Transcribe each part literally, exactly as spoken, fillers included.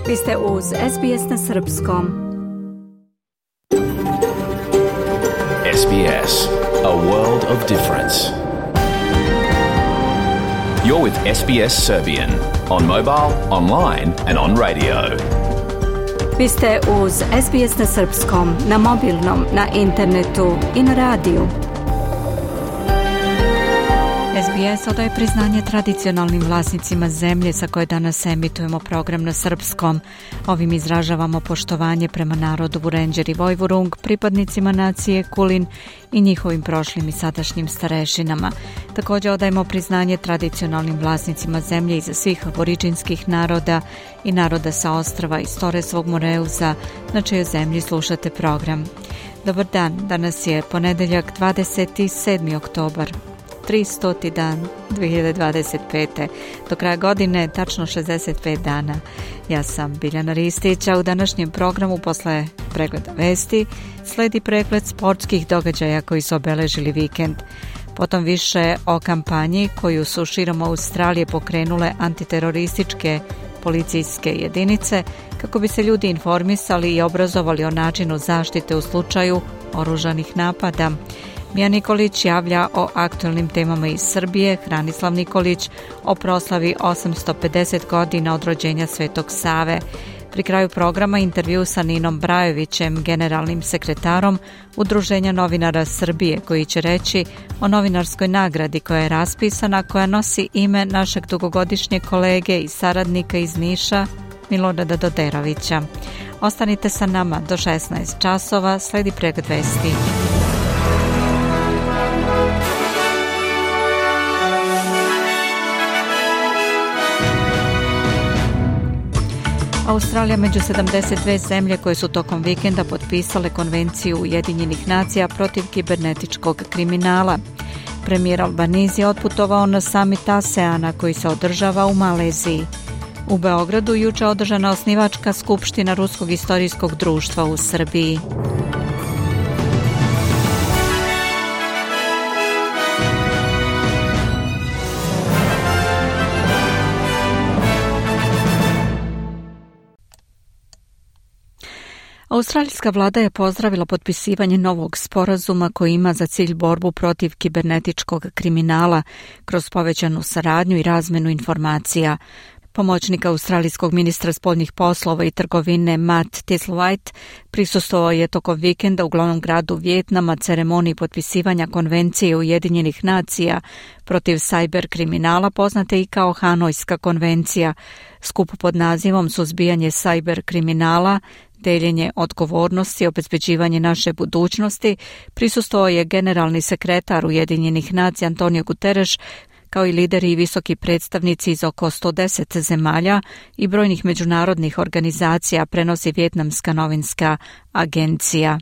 Vi ste uz S B S na srpskom. S B S, a world of difference. You're with S B S Serbian on mobile, online and on radio. Vi ste uz S B S na srpskom, na mobilnom, na internetu i na radiju. S B S odaje priznanje tradicionalnim vlasnicima zemlje sa koje danas emitujemo program na srpskom. Ovim izražavamo poštovanje prema narodu Vurenđer i Vojvurung, pripadnicima nacije Kulin i njihovim prošlim i sadašnjim starešinama. Također odajemo priznanje tradicionalnim vlasnicima zemlje iza svih aboriđinskih naroda i naroda sa ostrva iz Toresovog Moreuza, na čijoj zemlji slušate program. Dobar dan, danas je ponedeljak dvadeset sedmi oktobar. tristoti dan dvije hiljade dvadeset pete. Do kraja godine tačno šezdeset pet dana. Ja sam Biljana Ristić, a u današnjem programu posle pregleda vesti sledi pregled sportskih događaja koji su obeležili vikend. Potom više o kampanji koju su širom Australije pokrenule antiterorističke policijske jedinice kako bi se ljudi informisali i obrazovali o načinu zaštite u slučaju oružanih napada. Mija Nikolić javlja o aktualnim temama iz Srbije, Hranislav Nikolić o proslavi osamsto pedeset godina od rođenja Svetog Save. Pri kraju programa intervju sa Ninom Brajovićem, generalnim sekretarom Udruženja novinara Srbije, koji će reći o novinarskoj nagradi koja je raspisana, koja nosi ime našeg dugogodišnjeg kolege i saradnika iz Niša, Milorada Doderovića. Ostanite sa nama do šesnaest časova, sledi pregled vesti. Australija među sedamdeset dve zemlje koje su tokom vikenda potpisale Konvenciju Ujedinjenih nacija protiv kibernetičkog kriminala. Premijer Albanese je otputovao na samit ASEANA koji se održava u Maleziji. U Beogradu juče održana osnivačka skupština Ruskog istorijskog društva u Srbiji. Australijska vlada je pozdravila potpisivanje novog sporazuma koji ima za cilj borbu protiv kibernetičkog kriminala kroz povećanu saradnju i razmenu informacija. Pomoćnik australijskog ministra spoljnih poslova i trgovine Matt Thistlethwaite prisustvovao je tokom vikenda u glavnom gradu Vijetnama ceremoniji potpisivanja Konvencije Ujedinjenih nacija protiv sajber kriminala, poznate i kao Hanojska konvencija. Skup pod nazivom Suzbijanje sajber kriminala, deljenje odgovornosti i obezbeđivanje naše budućnosti prisustvovao je generalni sekretar Ujedinjenih nacija Antonio Guterres, kao i lideri i visoki predstavnici iz oko sto deset zemalja i brojnih međunarodnih organizacija, prenosi Vijetnamska novinska agencija.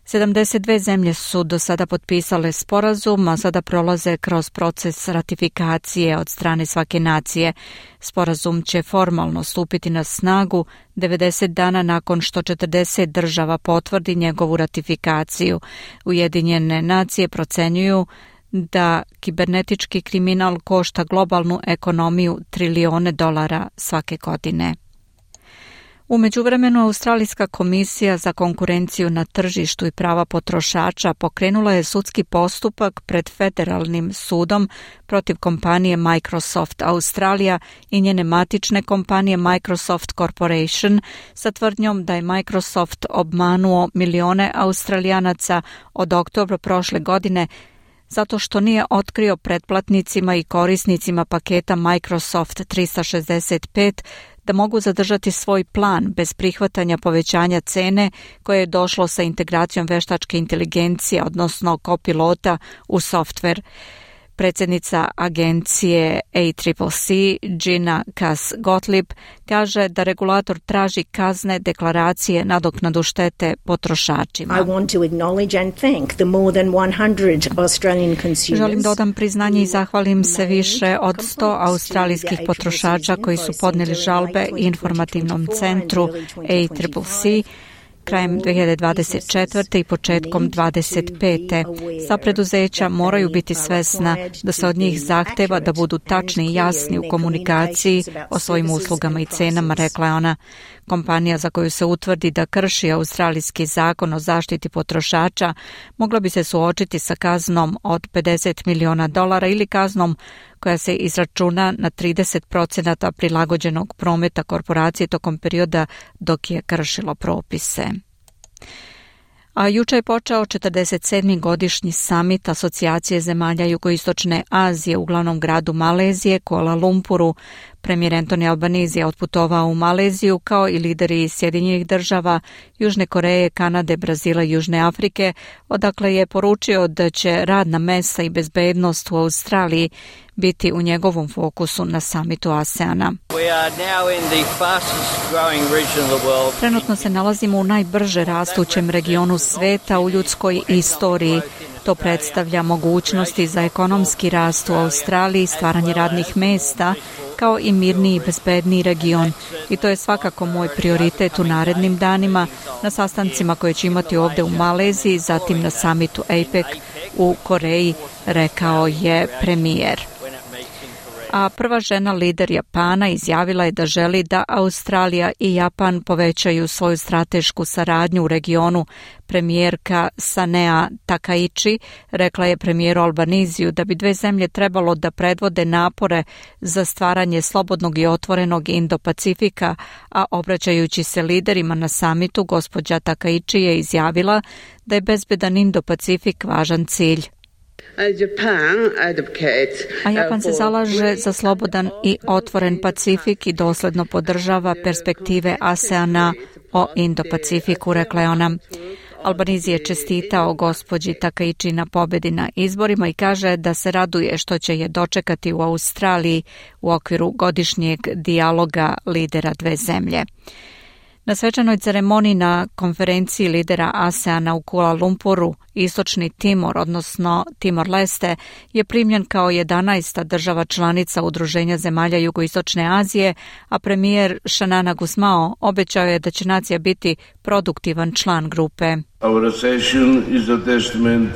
sedamdeset dve zemlje su do sada potpisale sporazum, a sada prolaze kroz proces ratifikacije od strane svake nacije. Sporazum će formalno stupiti na snagu devedeset dana nakon što četrdeset država potvrdi njegovu ratifikaciju. Ujedinjene nacije procenjuju da kibernetički kriminal košta globalnu ekonomiju trilijone dolara svake godine. U međuvremenu, Australijska komisija za konkurenciju na tržištu i prava potrošača pokrenula je sudski postupak pred federalnim sudom protiv kompanije Microsoft Australija i njene matične kompanije Microsoft Corporation sa tvrdnjom da je Microsoft obmanuo milione Australijanaca od oktobra prošle godine zato što nije otkrio pretplatnicima i korisnicima paketa Microsoft tristo šezdeset pet da mogu zadržati svoj plan bez prihvatanja povećanja cene koje je došlo sa integracijom veštačke inteligencije, odnosno kopilota u softver. Predsjednica agencije A C C C, Gina Cass-Gottlieb, kaže da regulator traži kazne, deklaracije, nadoknadu štete potrošačima. I want to acknowledge and thank the more than one hundred Australian consumers. Želim da odam priznanje i zahvalim se više od sto australijskih potrošača koji su podnijeli žalbe informativnom centru A C C C krajem dve hiljade dvadeset četvrte i početkom dvadeset pete. Sva preduzeća moraju biti svesna da se od njih zahteva da budu tačni i jasni u komunikaciji o svojim uslugama i cenama, rekla je ona. Kompanija za koju se utvrdi da krši australijski zakon o zaštiti potrošača mogla bi se suočiti sa kaznom od pedeset miliona dolara ili kaznom koja se izračuna na trideset procenata prilagođenog prometa korporacije tokom perioda dok je kršilo propise. A juče je počeo četrdeset sedmi godišnji samit Asocijacije zemalja Jugoistočne Azije u glavnom gradu Malezije, Kuala Lumpuru. Premijer Anthony Albanese je otputovao u Maleziju kao i lideri Sjedinjenih država, Južne Koreje, Kanade, Brazila i Južne Afrike, odakle je poručio da će radna mesta i bezbednost u Australiji biti u njegovom fokusu na samitu ASEANA. Trenutno se nalazimo u najbrže rastućem regionu sveta u ljudskoj istoriji. To predstavlja mogućnosti za ekonomski rast u Australiji, stvaranje radnih mesta, kao i mirniji i bezbedniji region. I to je svakako moj prioritet u narednim danima, na sastancima koje ću imati ovdje u Maleziji, zatim na samitu A P E C u Koreji, rekao je premijer. A prva žena lider Japana izjavila je da želi da Australija i Japan povećaju svoju stratešku saradnju u regionu. Premijerka Sanea Takaichi rekla je premijeru Albanesiju da bi dve zemlje trebalo da predvode napore za stvaranje slobodnog i otvorenog Indo-Pacifika, a obraćajući se liderima na samitu, gospođa Takaichi je izjavila da je bezbedan Indo-Pacifik važan cilj. A Japan se zalaže za slobodan i otvoren Pacifik i dosledno podržava perspektive ASEANA o Indo-Pacifiku, rekla je ona. Albanese je čestitao gospođi Takaichi na pobedi na izborima i kaže da se raduje što će je dočekati u Australiji u okviru godišnjeg dijaloga lidera dve zemlje. Na svečanoj ceremoniji na konferenciji lidera ASEANA u Kuala Lumpuru, Istočni Timor, odnosno Timor-Leste, je primljen kao jedanaesta država članica Udruženja zemalja Jugoistočne Azije, a premijer Xanana Gusmao obećao je da će nacija biti produktivan član grupe. Our accession is a testament.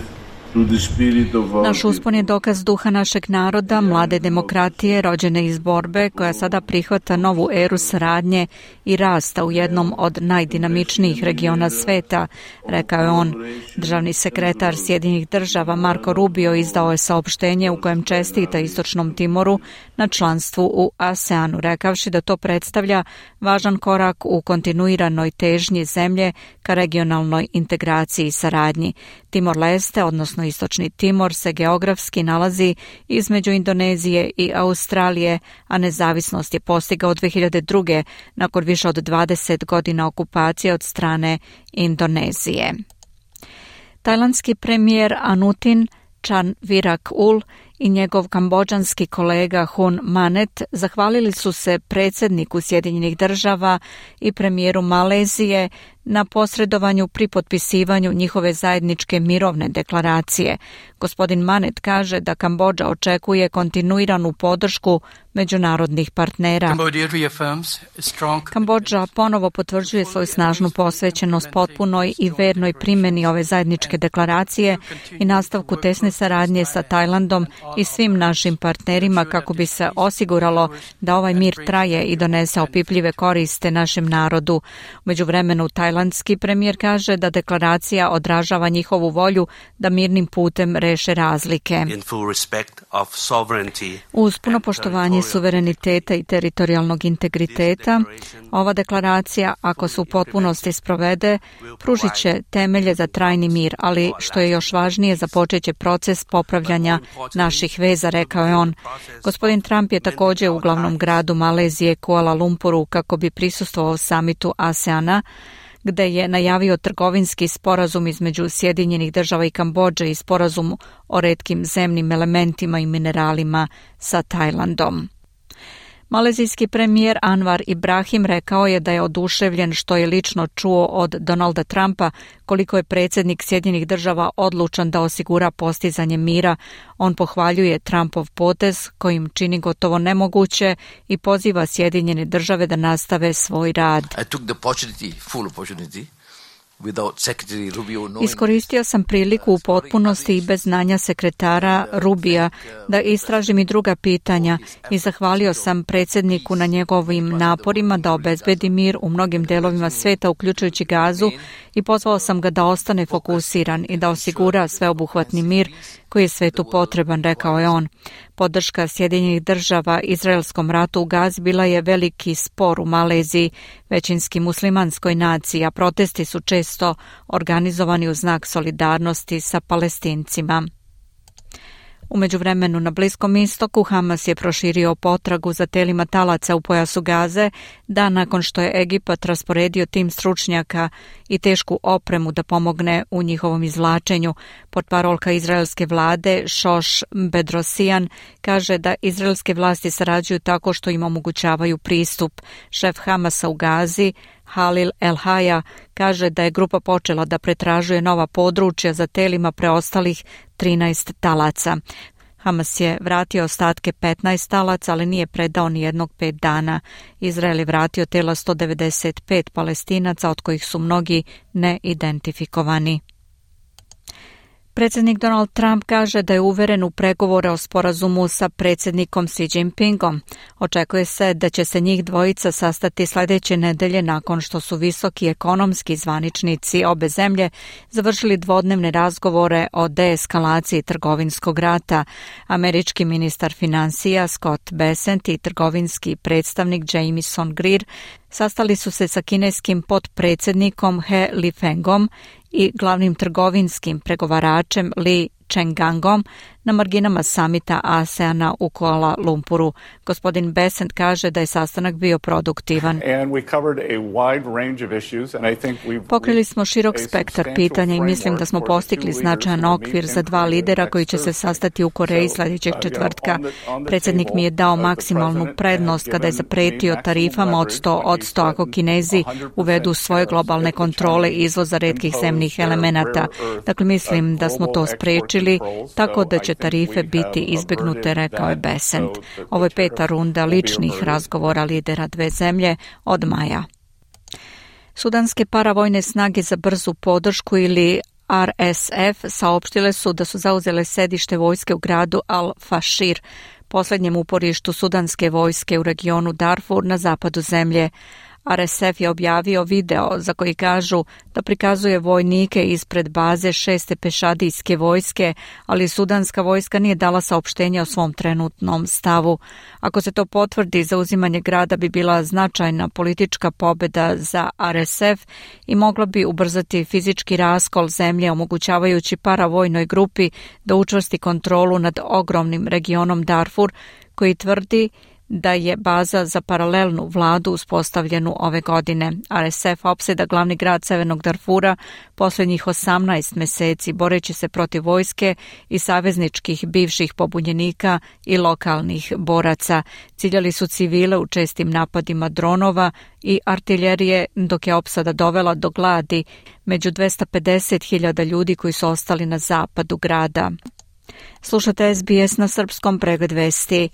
Naš uspon je dokaz duha našeg naroda, mlade demokratije, rođene iz borbe, koja sada prihvata novu eru saradnje i rasta u jednom od najdinamičnijih regiona sveta, rekao je on. Državni sekretar Sjedinjenih država Marco Rubio izdao je saopštenje u kojem čestita Istočnom Timoru na članstvu u ASEANu, rekavši da to predstavlja važan korak u kontinuiranoj težnji zemlje ka regionalnoj integraciji i saradnji. Timor-Leste, odnosno Istočni Timor, se geografski nalazi između Indonezije i Australije, a nezavisnost je postigao dve hiljade druge nakon više od dvadeset godina okupacije od strane Indonezije. Tajlandski premijer Anutin Chanvirakul i njegov kambodžanski kolega Hun Manet zahvalili su se predsjedniku Sjedinjenih država i premijeru Malezije na posredovanju pri potpisivanju njihove zajedničke mirovne deklaracije. Gospodin Manet kaže da Kambodža očekuje kontinuiranu podršku međunarodnih partnera. Kambodža ponovo potvrđuje svoju snažnu posvećenost potpunoj i vernoj primjeni ove zajedničke deklaracije i nastavku tesne saradnje sa Tajlandom i svim našim partnerima kako bi se osiguralo da ovaj mir traje i donese opipljive koriste našem narodu. U međuvremenu tajlandski premijer kaže da deklaracija odražava njihovu volju da mirnim putem reše razlike. Uz puno poštovanje suvereniteta i teritorijalnog integriteta, ova deklaracija, ako se u potpunosti sprovede, pružit će temelje za trajni mir, ali što je još važnije, započet će proces popravljanja naših veza, rekao je on. Gospodin Trump je također u glavnom gradu Malezije, Kuala Lumpuru, kako bi prisustvovao samitu ASEANA, gde je najavio trgovinski sporazum između Sjedinjenih država i Kambodže i sporazum o retkim zemnim elementima i mineralima sa Tajlandom. Malezijski premijer Anwar Ibrahim rekao je da je oduševljen što je lično čuo od Donalda Trumpa koliko je predsjednik Sjedinjenih država odlučan da osigura postizanje mira. On pohvaljuje Trumpov potez kojim čini gotovo nemoguće i poziva Sjedinjene države da nastave svoj rad. I took the opportunity, full opportunity, Iskoristio sam priliku u potpunosti i bez znanja sekretara Rubija da istražim i druga pitanja i zahvalio sam predsjedniku na njegovim naporima da obezbedi mir u mnogim delovima sveta, uključujući Gazu, i pozvao sam ga da ostane fokusiran i da osigura sveobuhvatni mir koji je svetu potreban, rekao je on. Podrška Sjedinjenih država izraelskom ratu u Gazi bila je veliki spor u Maleziji, većinski muslimanskoj naciji, a protesti su često organizovani u znak solidarnosti sa Palestincima. U međuvremenu na Bliskom istoku Hamas je proširio potragu za telima talaca u pojasu Gaze, dan nakon što je Egipat rasporedio tim stručnjaka i tešku opremu da pomogne u njihovom izvlačenju. Portparolka izraelske vlade Šoš Bedrosijan kaže da izraelske vlasti sarađuju tako što im omogućavaju pristup. Šef Hamasa u Gazi Halil El-Haja kaže da je grupa počela da pretražuje nova područja za telima preostalih trinaest talaca. Hamas je vratio ostatke petnaest talaca, ali nije predao ni jednog pet dana. Izrael je vratio tela sto devedeset pet Palestinaca, od kojih su mnogi neidentifikovani. Predsjednik Donald Trump kaže da je uveren u pregovore o sporazumu sa predsjednikom Xi Jinpingom. Očekuje se da će se njih dvojica sastati sljedeće nedelje nakon što su visoki ekonomski zvaničnici obe zemlje završili dvodnevne razgovore o deeskalaciji trgovinskog rata. Američki ministar financija Scott Bessent i trgovinski predstavnik Jamieson Greer sastali su se sa kineskim potpredsjednikom He Lifengom i glavnim trgovinskim pregovaračem Li Chengangom na marginama samita ASEANA u Kuala Lumpuru. Gospodin Bessent kaže da je sastanak bio produktivan. Pokrili smo širok spektar pitanja i mislim da smo postigli značajan okvir za dva lidera koji će se sastati u Koreji sljedećeg četvrtka. Predsjednik mi je dao maksimalnu prednost kada je zapretio tarifama od sto odsto ako Kinezi uvedu svoje globalne kontrole izvoza retkih zemnih elemenata. Dakle, mislim da smo to sprečili tako da će tarife biti izbjegnute, rekao je Bessent. Ovo je peta runda ličnih razgovora lidera dve zemlje od maja. Sudanske paravojne snage za brzu podršku ili R S F saopštile su da su zauzele sedište vojske u gradu Al-Fashir, posljednjem uporištu sudanske vojske u regionu Darfur na zapadu zemlje. R S F je objavio video za koji kažu da prikazuje vojnike ispred baze šeste pešadijske vojske, ali sudanska vojska nije dala saopštenje o svom trenutnom stavu. Ako se to potvrdi, zauzimanje grada bi bila značajna politička pobjeda za R S F i mogla bi ubrzati fizički raskol zemlje, omogućavajući paravojnoj grupi da učvrsti kontrolu nad ogromnim regionom Darfur, koji tvrdi da je baza za paralelnu vladu uspostavljenu ove godine. R S F opseda glavni grad Severnog Darfura posljednjih osamnaest mjeseci boreći se protiv vojske i savezničkih bivših pobunjenika i lokalnih boraca. Ciljali su civile u čestim napadima dronova i artiljerije, dok je opsada dovela do gladi među dvesta pedeset hiljada ljudi koji su ostali na zapadu grada. Slušate S B S na srpskom, pregled vesti.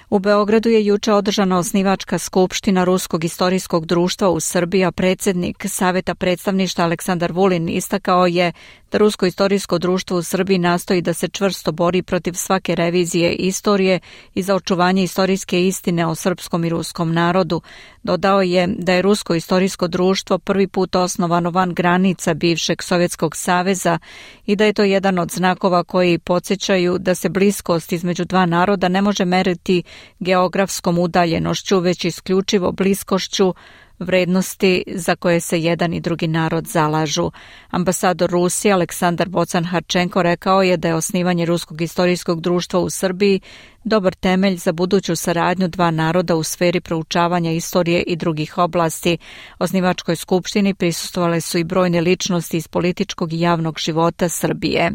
U Beogradu je juče održana osnivačka skupština Ruskog istorijskog društva u Srbiji, a predsjednik Saveta predstavništva Aleksandar Vulin istakao je da Rusko istorijsko društvo u Srbiji nastoji da se čvrsto bori protiv svake revizije istorije i za očuvanje istorijske istine o srpskom i ruskom narodu. Dodao je da je Rusko istorijsko društvo prvi put osnovano van granica bivšeg Sovjetskog saveza i da je to jedan od znakova koji podsjećaju da se bliskost između dva naroda ne može meriti geografskom udaljenošću, već isključivo bliskošću vrednosti za koje se jedan i drugi narod zalažu. Ambasador Rusije Aleksandar Bocan-Harčenko rekao je da je osnivanje Ruskog istorijskog društva u Srbiji dobar temelj za buduću saradnju dva naroda u sferi proučavanja istorije i drugih oblasti. Osnivačkoj skupštini prisustvovale su i brojne ličnosti iz političkog i javnog života Srbije.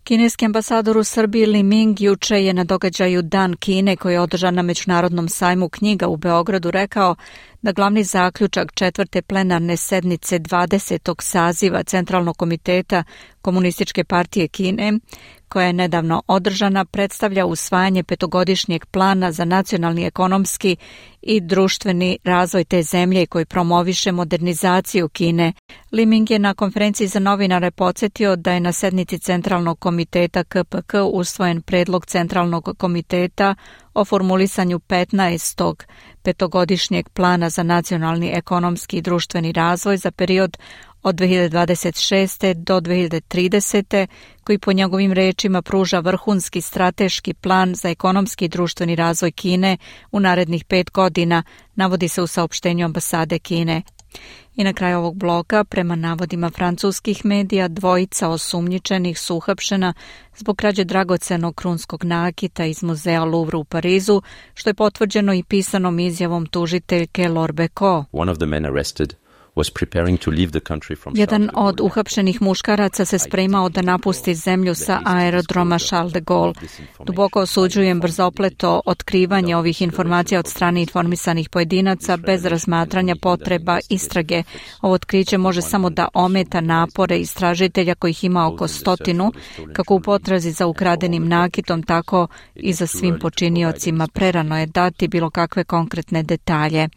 Kineski ambasador u Srbiji Li Ming juče je na događaju Dan Kine, koji je održan na Međunarodnom sajmu knjiga u Beogradu, rekao da glavni zaključak četvrte plenarne sednice dvadesetog saziva Centralnog komiteta Komunističke partije Kine, koja je nedavno održana, predstavlja usvajanje petogodišnjeg plana za nacionalni, ekonomski i društveni razvoj te zemlje koji promoviše modernizaciju Kine. Liming je na konferenciji za novinare podsjetio da je na sednici Centralnog komiteta K P K usvojen predlog Centralnog komiteta o formulisanju petnaestog petogodišnjeg plana za nacionalni, ekonomski i društveni razvoj za period od dve hiljade dvadeset šeste do dve hiljade tridesete koji po njegovim rečima pruža vrhunski strateški plan za ekonomski i društveni razvoj Kine u narednih pet godina, navodi se u saopštenju ambasade Kine. I na kraju ovog bloka, prema navodima francuskih medija, dvojica osumnjičenih su uhapšena zbog krađe dragocenog krunskog nakita iz muzeja Louvre u Parizu, što je potvrđeno i pisanom izjavom tužiteljke Laure Becot. One of the men arrested was preparing to leave the country from Jedan od uhapšenih muškaraca se spremao da napusti zemlju sa aerodroma Charles de Gaulle. Duboko osuđujem brzopleto otkrivanje ovih informacija od strane informisanih pojedinaca bez razmatranja potreba istrage. Ovo otkriće može samo da ometa napore istražitelja kojih ima oko stotinu, kako u potrazi za ukradenim nakitom, tako i za svim počiniocima. Prerano je dati bilo kakve konkretne detalje.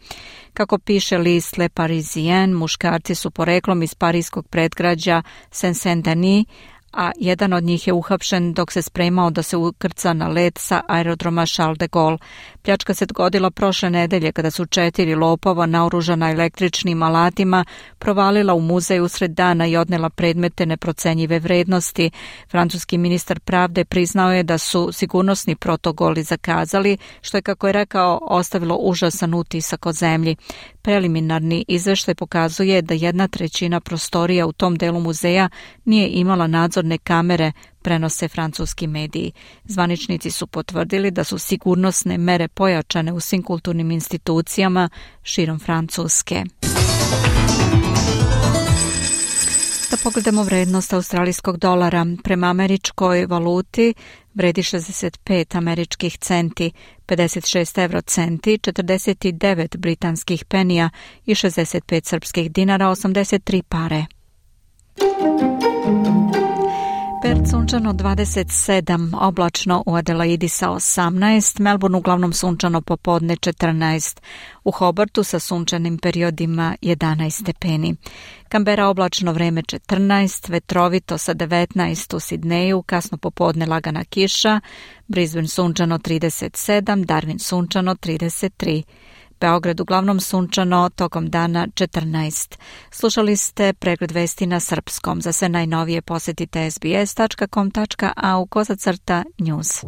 Kako piše list Le Parisien, muškarci su poreklom iz parijskog predgrađa Saint-Saint-Denis, a jedan od njih je uhapšen dok se spremao da se ukrca na let sa aerodroma Charles de Gaulle. Pljačka se dogodila prošle nedelje kada su četiri lopova naoružana električnim alatima provalila u muzej usred dana i odnela predmete neprocenjive vrednosti. Francuski ministar pravde priznao je da su sigurnosni protokoli zakazali, što je, kako je rekao, ostavilo užasan utisak o zemlji. Preliminarni izveštaj pokazuje da jedna trećina prostorija u tom delu muzeja nije imala nadzorne kamere, prenose francuski mediji. Zvaničnici su potvrdili da su sigurnosne mere pojačane u svim kulturnim institucijama širom Francuske. Da pogledamo vrednost australijskog dolara. Prema američkoj valuti vredi šezdeset pet američkih centi, pedeset šest evrocenti, četrdeset devet britanskih penija i šezdeset pet srpskih dinara, osamdeset tri pare. Perth sunčano dvadeset sedam, oblačno u Adelaidi sa osamnaest, Melbourne uglavnom sunčano popodne četrnaest, u Hobartu sa sunčanim periodima jedanaest stepeni. Canberra oblačno vreme četrnaest, vetrovito sa devetnaest u Sidneju, kasno popodne lagana kiša, Brisbane sunčano trideset sedam, Darwin sunčano trideset tri. Beograd uglavnom sunčano, tokom dana četrnaest. Slušali ste pregled vesti na srpskom. Za sve najnovije posjetite s b s tačka com tačka a u kozacrta news.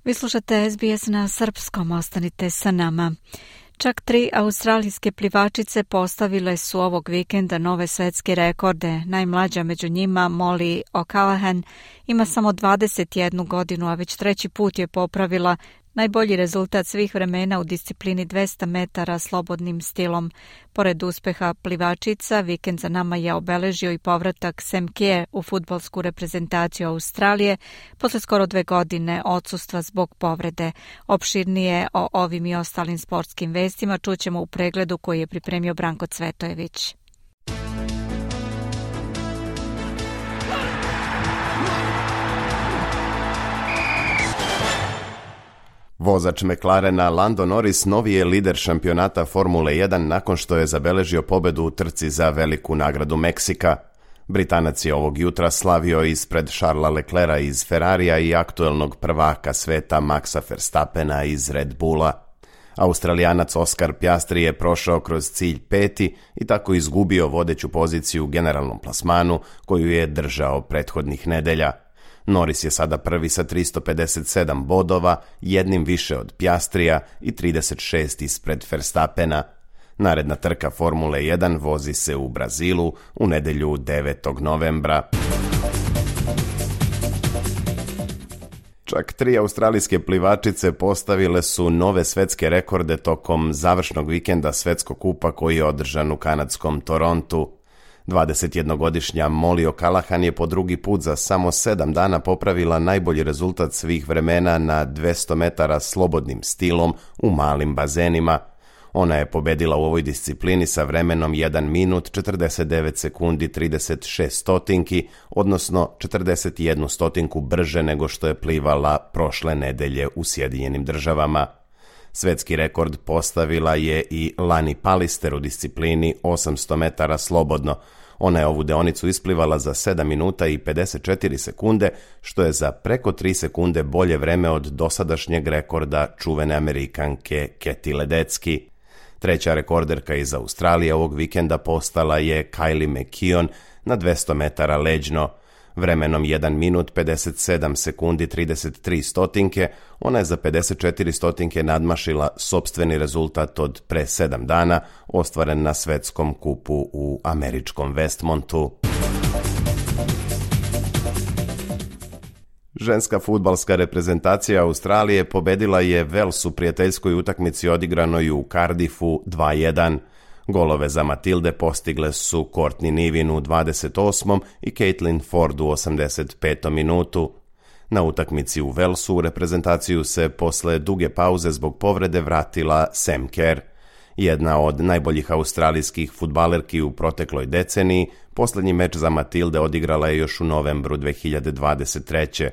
Vi slušate S B S na srpskom, ostanite sa nama. Čak tri australijske plivačice postavile su ovog vikenda nove svetske rekorde. Najmlađa među njima, Molly O'Callaghan, ima samo dvadeset jednu godinu, a već treći put je popravila najbolji rezultat svih vremena u disciplini dvesta metara slobodnim stilom. Pored uspeha plivačica, vikend za nama je obeležio i povratak Sam Kerr u fudbalsku reprezentaciju Australije posle skoro dve godine odsustva zbog povrede. Opširnije o ovim i ostalim sportskim vestima čućemo u pregledu koji je pripremio Branko Cvetojević. Vozač McLarena Lando Norris novi je lider šampionata Formule jedan nakon što je zabeležio pobedu u trci za veliku nagradu Meksika. Britanac je ovog jutra slavio ispred Charlesa Leclerca iz Ferrarija i aktuelnog prvaka sveta Maxa Verstappena iz Red Bulla. Australijanac Oscar Piastri je prošao kroz cilj peti i tako izgubio vodeću poziciju u generalnom plasmanu koju je držao prethodnih nedelja. Norris je sada prvi sa tristo pedeset sedam bodova, jednim više od Piastrija i trideset šest ispred Verstappena. Naredna trka Formule jedan vozi se u Brazilu u nedelju devetog novembra. Čak tri australijske plivačice postavile su nove svetske rekorde tokom završnog vikenda svetskog kupa koji je održan u kanadskom Torontu. dvadesetjednogodišnja Molly O'Callaghan je po drugi put za samo sedam dana popravila najbolji rezultat svih vremena na dvesta metara slobodnim stilom u malim bazenima. Ona je pobedila u ovoj disciplini sa vremenom jedan minut četrdeset devet sekundi trideset šest stotinki, odnosno četrdeset jednu stotinku brže nego što je plivala prošle nedelje u Sjedinjenim Državama. Svetski rekord postavila je i Lani Pallister u disciplini osamsto metara slobodno. Ona je ovu deonicu isplivala za sedam minuta i pedeset četiri sekunde, što je za preko tri sekunde bolje vreme od dosadašnjeg rekorda čuvene Amerikanke Kathy Ledecky. Treća rekorderka iz Australije ovog vikenda postala je Kylie McKeon na dvesta metara leđno. Vremenom jedan minut pedeset sedam sekundi trideset tri stotinke, ona je za pedeset četiri stotinke nadmašila sopstveni rezultat od pre sedam dana, ostvaren na svetskom kupu u američkom Westmontu. Ženska fudbalska reprezentacija Australije pobedila je Wales u prijateljskoj utakmici odigranoj u Cardiffu dva jedan. Golove za Matilde postigle su Courtney Nivin u dvadeset osmom i Caitlin Ford u osamdeset petom minutu. Na utakmici u Walesu u reprezentaciju se posle duge pauze zbog povrede vratila Sam Kerr. Jedna od najboljih australijskih fudbalerki u protekloj deceniji, posljednji meč za Matilde odigrala je još u novembru dve hiljade dvadeset treće.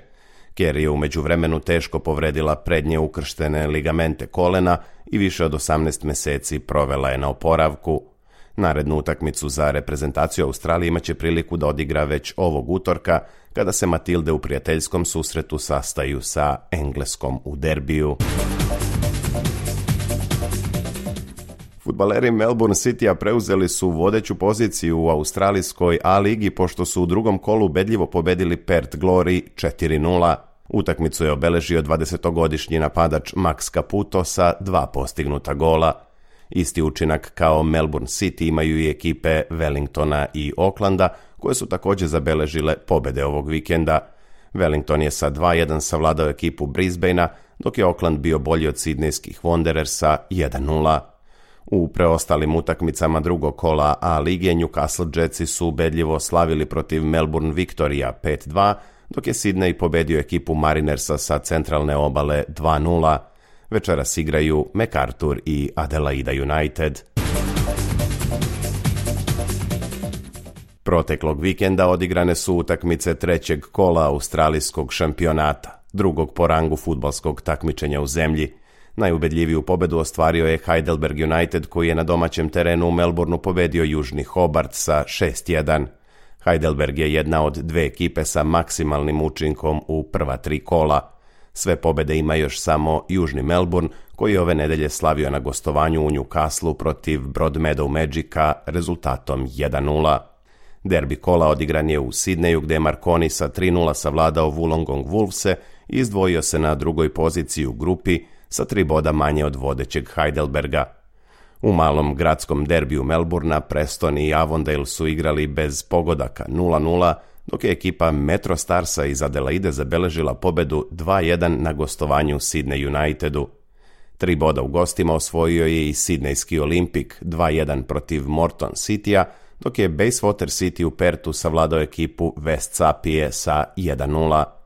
Kerr je u međuvremenu teško povredila prednje ukrštene ligamente kolena i više od osamnaest meseci provela je na oporavku. Narednu utakmicu za reprezentaciju Australije imaće priliku da odigra već ovog utorka, kada se Matilde u prijateljskom susretu sastaju sa Engleskom u derbiju. Fudbaleri Melbourne Citya preuzeli su vodeću poziciju u australijskoj A-ligi pošto su u drugom kolu ubedljivo pobedili Perth Glory četiri nula. Utakmicu je obeležio dvadesetogodišnji napadač Max Caputo sa dva postignuta gola. Isti učinak kao Melbourne City imaju i ekipe Wellingtona i Aucklanda, koje su također zabeležile pobede ovog vikenda. Wellington je sa dva jedan savladao ekipu Brisbanea, dok je Auckland bio bolji od Sidnejskih Wanderersa jedan nula. U preostalim utakmicama drugog kola A lige Newcastle Jetsi su ubedljivo slavili protiv Melbourne Victoria pet dva, dok je Sydney pobedio ekipu Marinersa sa centralne obale dva nula. Večeras igraju MacArthur i Adelaida United. Proteklog vikenda odigrane su utakmice trećeg kola australijskog šampionata, drugog po rangu fudbalskog takmičenja u zemlji. Najubedljiviju pobedu ostvario je Heidelberg United, koji je na domaćem terenu u Melbourneu pobedio Južni Hobart sa šest jedan. Heidelberg je jedna od dve ekipe sa maksimalnim učinkom u prva tri kola. Sve pobede ima još samo Južni Melbourne, koji je ove nedelje slavio na gostovanju u Newcastleu protiv Broadmeadow Magica rezultatom jedan nula. Derbi kola odigran je u Sidneju, gde je Marconi sa tri nula savladao Wollongong Wolvese i izdvojio se na drugoj poziciji u grupi sa tri boda manje od vodećeg Heidelberga. U malom gradskom derbiju Melbournea Preston i Avondale su igrali bez pogodaka nula nula, dok je ekipa Metro Starsa iz Adelaide zabeležila pobedu dva jedan na gostovanju Sydney Unitedu. Tri boda u gostima osvojio je i Sidnejski Olimpik dva jedan protiv Morton Citya, dok je Bayswater City u Perthu savladao ekipu West Sapije sa jedan nula.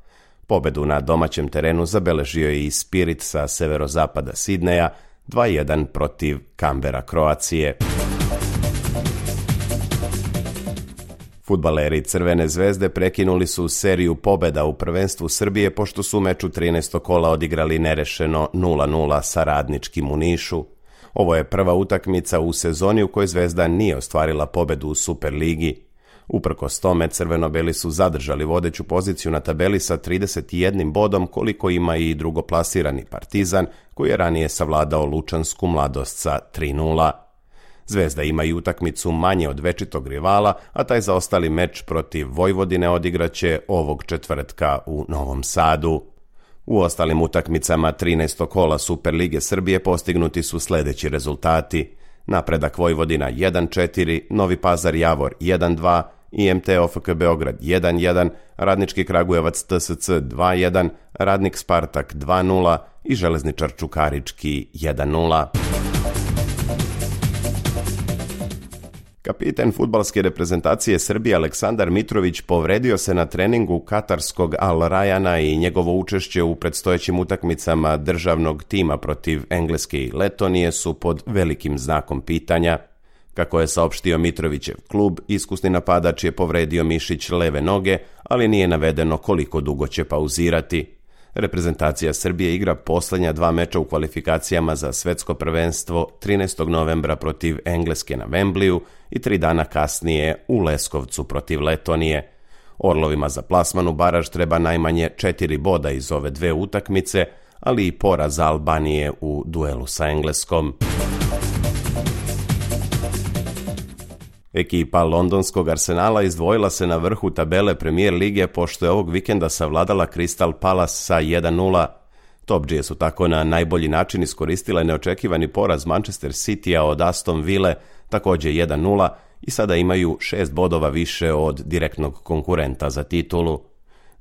Pobedu na domaćem terenu zabeležio je i Spirit sa severozapada Sidneja dva jedan protiv Canberra Kroacije. Fudbaleri Crvene zvezde prekinuli su seriju pobeda u prvenstvu Srbije pošto su u meču trinaestog kola odigrali nerešeno nula nula sa Radničkim u Nišu. Ovo je prva utakmica u sezoni u kojoj Zvezda nije ostvarila pobedu u Superligi. Uprkos tome, crveno-beli su zadržali vodeću poziciju na tabeli sa trideset jednim bodom, koliko ima i drugoplasirani Partizan, koji je ranije savladao Lučansku Mladost sa tri nula. Zvezda ima i utakmicu manje od večitog rivala, a taj zaostali meč protiv Vojvodine odigraće ovog četvrtka u Novom Sadu. U ostalim utakmicama trinaestog kola Superlige Srbije postignuti su sljedeći rezultati: Napredak Vojvodina jedan četiri, Novi Pazar Javor jedan dva, I M T O F K Beograd jedan jedan, Radnički Kragujevac T S C dva jedan, Radnik Spartak dva nula i Železničar Čukarički jedan nula. Kapiten fudbalske reprezentacije Srbije Aleksandar Mitrović povredio se na treningu katarskog Al Rayana i njegovo učešće u predstojećim utakmicama državnog tima protiv Engleske i Letonije su pod velikim znakom pitanja. Kako je saopštio Mitrovićev klub, iskusni napadač je povredio mišić leve noge, ali nije navedeno koliko dugo će pauzirati. Reprezentacija Srbije igra posljednja dva meča u kvalifikacijama za svetsko prvenstvo trinaestog novembra protiv Engleske na Wembleyu i tri dana kasnije u Leskovcu protiv Letonije. Orlovima za plasman u baraž treba najmanje četiri boda iz ove dve utakmice, ali i poraz Albanije u duelu sa Engleskom. Ekipa londonskog Arsenala izdvojila se na vrhu tabele Premier lige pošto je ovog vikenda savladala Crystal Palace sa jedan nula. Topdžije su tako na najbolji način iskoristile neočekivani poraz Manchester Citya od Aston Ville, također jedan nula, i sada imaju šest bodova više od direktnog konkurenta za titulu.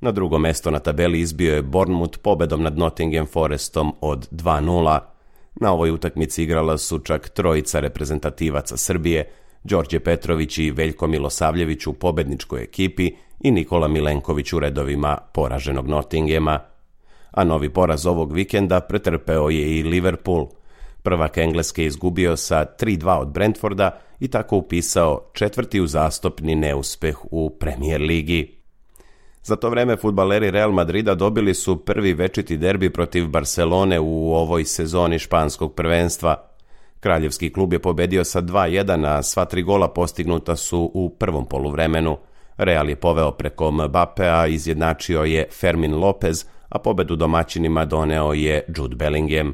Na drugo mesto na tabeli izbio je Bournemouth pobedom nad Nottingham Forestom od dva nula. Na ovoj utakmici igrala su čak trojica reprezentativaca Srbije, Đorđe Petrović i Veljko Milosavljević u pobedničkoj ekipi i Nikola Milenković u redovima poraženog Nottinghama. A novi poraz ovog vikenda pretrpeo je i Liverpool. Prvak Engleske izgubio sa tri dva od Brentforda i tako upisao četvrti uzastopni neuspeh u Premier ligi. Za to vreme fudbaleri Real Madrida dobili su prvi večiti derbi protiv Barcelone u ovoj sezoni španskog prvenstva. Kraljevski klub je pobedio sa dva jedan, a sva tri gola postignuta su u prvom poluvremenu. Real je poveo preko Mbappea, izjednačio je Fermin Lopez, a pobedu domaćinima doneo je Jude Bellingham.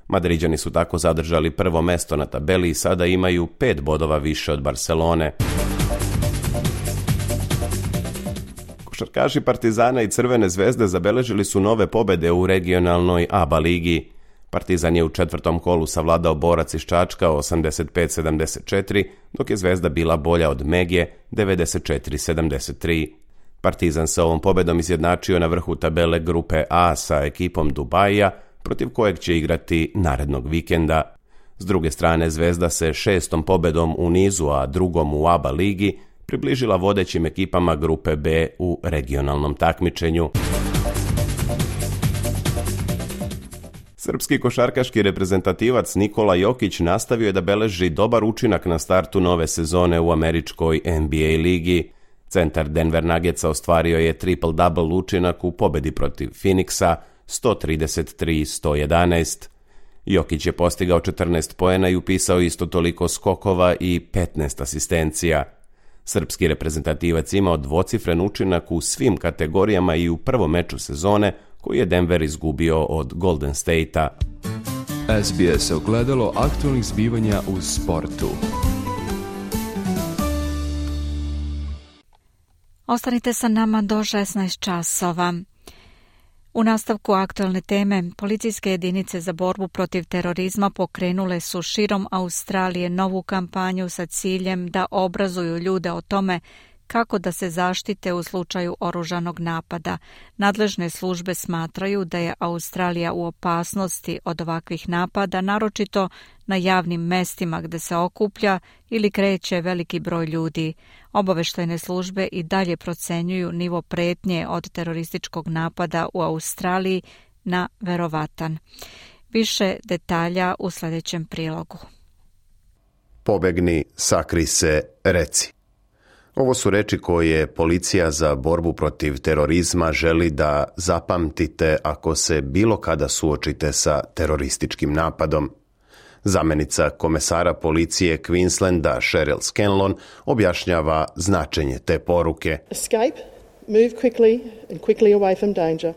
Madriđani su tako zadržali prvo mesto na tabeli i sada imaju pet bodova više od Barcelone. Košarkaši Partizana i Crvene zvezde zabeležili su nove pobede u regionalnoj A B A ligi. Partizan je u četvrtom kolu savladao Borac iz Čačka osamdeset pet sedamdeset četiri, dok je Zvezda bila bolja od Megije devedeset četiri sedamdeset tri. Partizan se ovom pobedom izjednačio na vrhu tabele grupe A sa ekipom Dubaija, protiv kojeg će igrati narednog vikenda. S druge strane, Zvezda se šestom pobedom u nizu, a drugom u A B A ligi, približila vodećim ekipama grupe B u regionalnom takmičenju. Srpski košarkaški reprezentativac Nikola Jokić nastavio je da beleži dobar učinak na startu nove sezone u američkoj N B A ligi. Centar Denver Nuggetsa ostvario je triple-double učinak u pobedi protiv Phoenixa sto trideset tri sto jedanaest. Jokić je postigao četrnaest poena i upisao isto toliko skokova i petnaest asistencija. Srpski reprezentativac imao dvocifren učinak u svim kategorijama i u prvom meču sezone koji je Denver izgubio od Golden State-a. S B S ogledalo aktualnih zbivanja u sportu. Ostanite sa nama do šesnaest časova. U nastavku aktualne teme, policijske jedinice za borbu protiv terorizma pokrenule su širom Australije novu kampanju sa ciljem da obrazuju ljude o tome kako da se zaštite u slučaju oružanog napada. Nadležne službe smatraju da je Australija u opasnosti od ovakvih napada, naročito na javnim mestima gde se okuplja ili kreće veliki broj ljudi. Obaveštajne službe i dalje procenjuju nivo pretnje od terorističkog napada u Australiji na verovatan. Više detalja u sljedećem prilogu. Pobegni, sakri se, reci. Ovo su reči koje policija za borbu protiv terorizma želi da zapamtite ako se bilo kada suočite sa terorističkim napadom. Zamenica komesara policije Queenslanda Cheryl Scanlon objašnjava značenje te poruke. Escape, move quickly and quickly away from danger.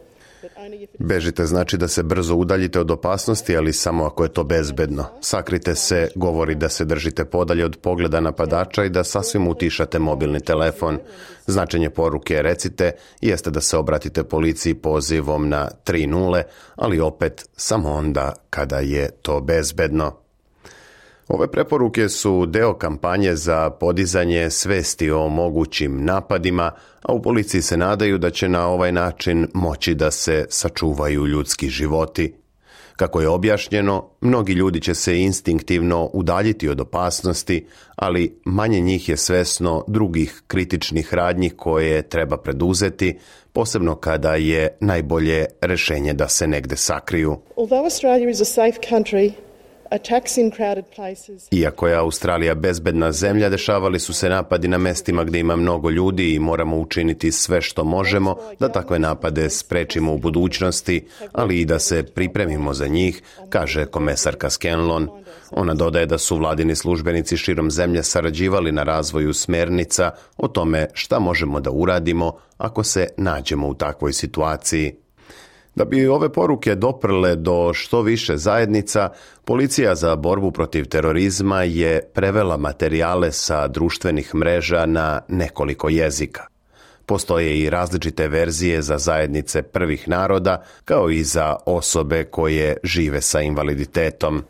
Bežite znači da se brzo udaljite od opasnosti, ali samo ako je to bezbedno. Sakrite se govori da se držite podalje od pogleda napadača i da sasvim utišate mobilni telefon. Značenje poruke recite jeste da se obratite policiji pozivom na tri nula, ali opet samo onda kada je to bezbedno. Ove preporuke su deo kampanje za podizanje svesti o mogućim napadima, a u policiji se nadaju da će na ovaj način moći da se sačuvaju ljudski životi. Kako je objašnjeno, mnogi ljudi će se instinktivno udaljiti od opasnosti, ali manje njih je svesno drugih kritičnih radnji koje treba preduzeti, posebno kada je najbolje rešenje da se negde sakriju. Although Australia is a safe country, attacks in crowded places. Iako je Australija bezbedna zemlja, dešavali su se napadi na mestima gdje ima mnogo ljudi i moramo učiniti sve što možemo da takve napade sprečimo u budućnosti, ali i da se pripremimo za njih, kaže komesarka Scanlon. Ona dodaje da su vladini službenici širom zemlje sarađivali na razvoju smernica o tome šta možemo da uradimo ako se nađemo u takvoj situaciji. Da bi ove poruke doprle do što više zajednica, Policija za borbu protiv terorizma je prevela materijale sa društvenih mreža na nekoliko jezika. Postoje i različite verzije za zajednice prvih naroda, kao i za osobe koje žive sa invaliditetom.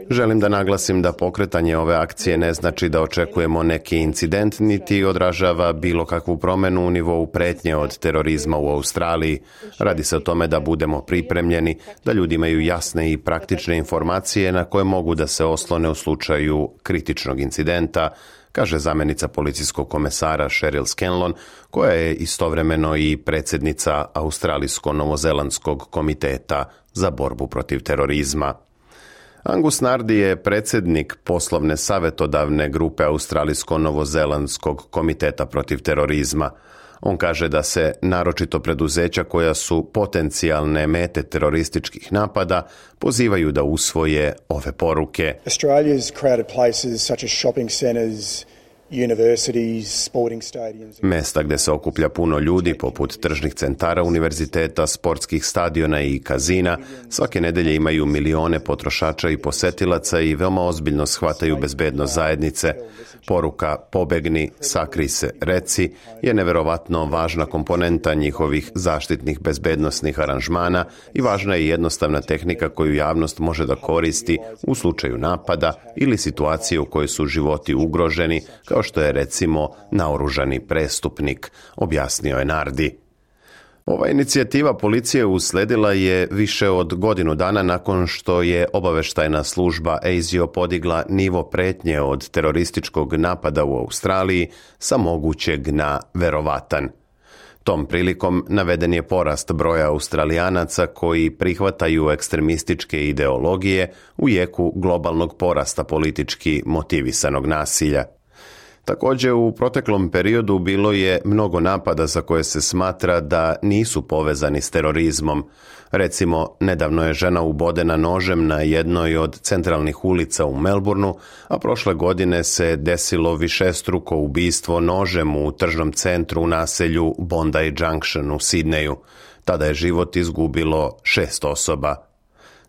Želim da naglasim da pokretanje ove akcije ne znači da očekujemo neki incident, niti odražava bilo kakvu promenu u nivou pretnje od terorizma u Australiji. Radi se o tome da budemo pripremljeni, da ljudi imaju jasne i praktične informacije na koje mogu da se oslone u slučaju kritičnog incidenta, kaže zamjenica policijskog komesara Cheryl Scanlon, koja je istovremeno i predsjednica Australijsko-Novozelandskog komiteta za borbu protiv terorizma. Angus Nardi je predsjednik poslovne savjetodavne grupe Australijsko-Novozelandskog komiteta protiv terorizma. On kaže da se naročito preduzeća koja su potencijalne mete terorističkih napada pozivaju da usvoje ove poruke. Australia's crowded places such as shopping centers, universities, sporting stadiums. Mesta gdje se okuplja puno ljudi, poput tržnih centara, univerziteta, sportskih stadiona i kazina, svake nedelje imaju milione potrošača i posetilaca i veoma ozbiljno shvataju bezbednost zajednice. Poruka pobegni, sakri se, reci je neverovatno važna komponenta njihovih zaštitnih bezbednosnih aranžmana i važna je jednostavna tehnika koju javnost može da koristi u slučaju napada ili situacije u kojoj su životi ugroženi, kao što je recimo naoružani prestupnik, objasnio je Nardi. Ova inicijativa policije usledila je više od godinu dana nakon što je obaveštajna služba A S I O podigla nivo pretnje od terorističkog napada u Australiji sa mogućeg na verovatan. Tom prilikom naveden je porast broja Australijanaca koji prihvataju ekstremističke ideologije u jeku globalnog porasta politički motivisanog nasilja. Također, u proteklom periodu bilo je mnogo napada za koje se smatra da nisu povezani s terorizmom. Recimo, nedavno je žena ubodena nožem na jednoj od centralnih ulica u Melbourneu, a prošle godine se desilo višestruko ubistvo nožem u tržnom centru u naselju Bondi Junction u Sidneju. Tada je život izgubilo šest osoba.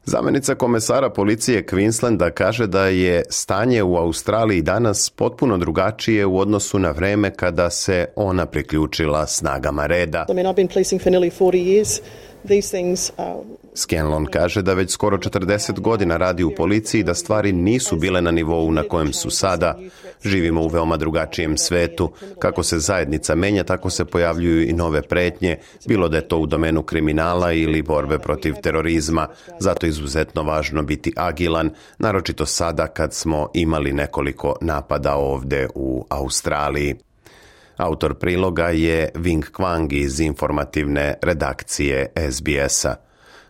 Zamjenica komesara policije Queenslanda kaže da je stanje u Australiji danas potpuno drugačije u odnosu na vreme kada se ona priključila snagama reda. I mean, I've been policing for nearly forty years. These things are... Scanlon kaže da već skoro četrdeset godina radi u policiji i da stvari nisu bile na nivou na kojem su sada. Živimo u veoma drugačijem svetu. Kako se zajednica menja, tako se pojavljuju i nove pretnje, bilo da je to u domenu kriminala ili borbe protiv terorizma. Zato je izuzetno važno biti agilan, naročito sada kad smo imali nekoliko napada ovdje u Australiji. Autor priloga je Wing Kwang iz informativne redakcije S B S-a.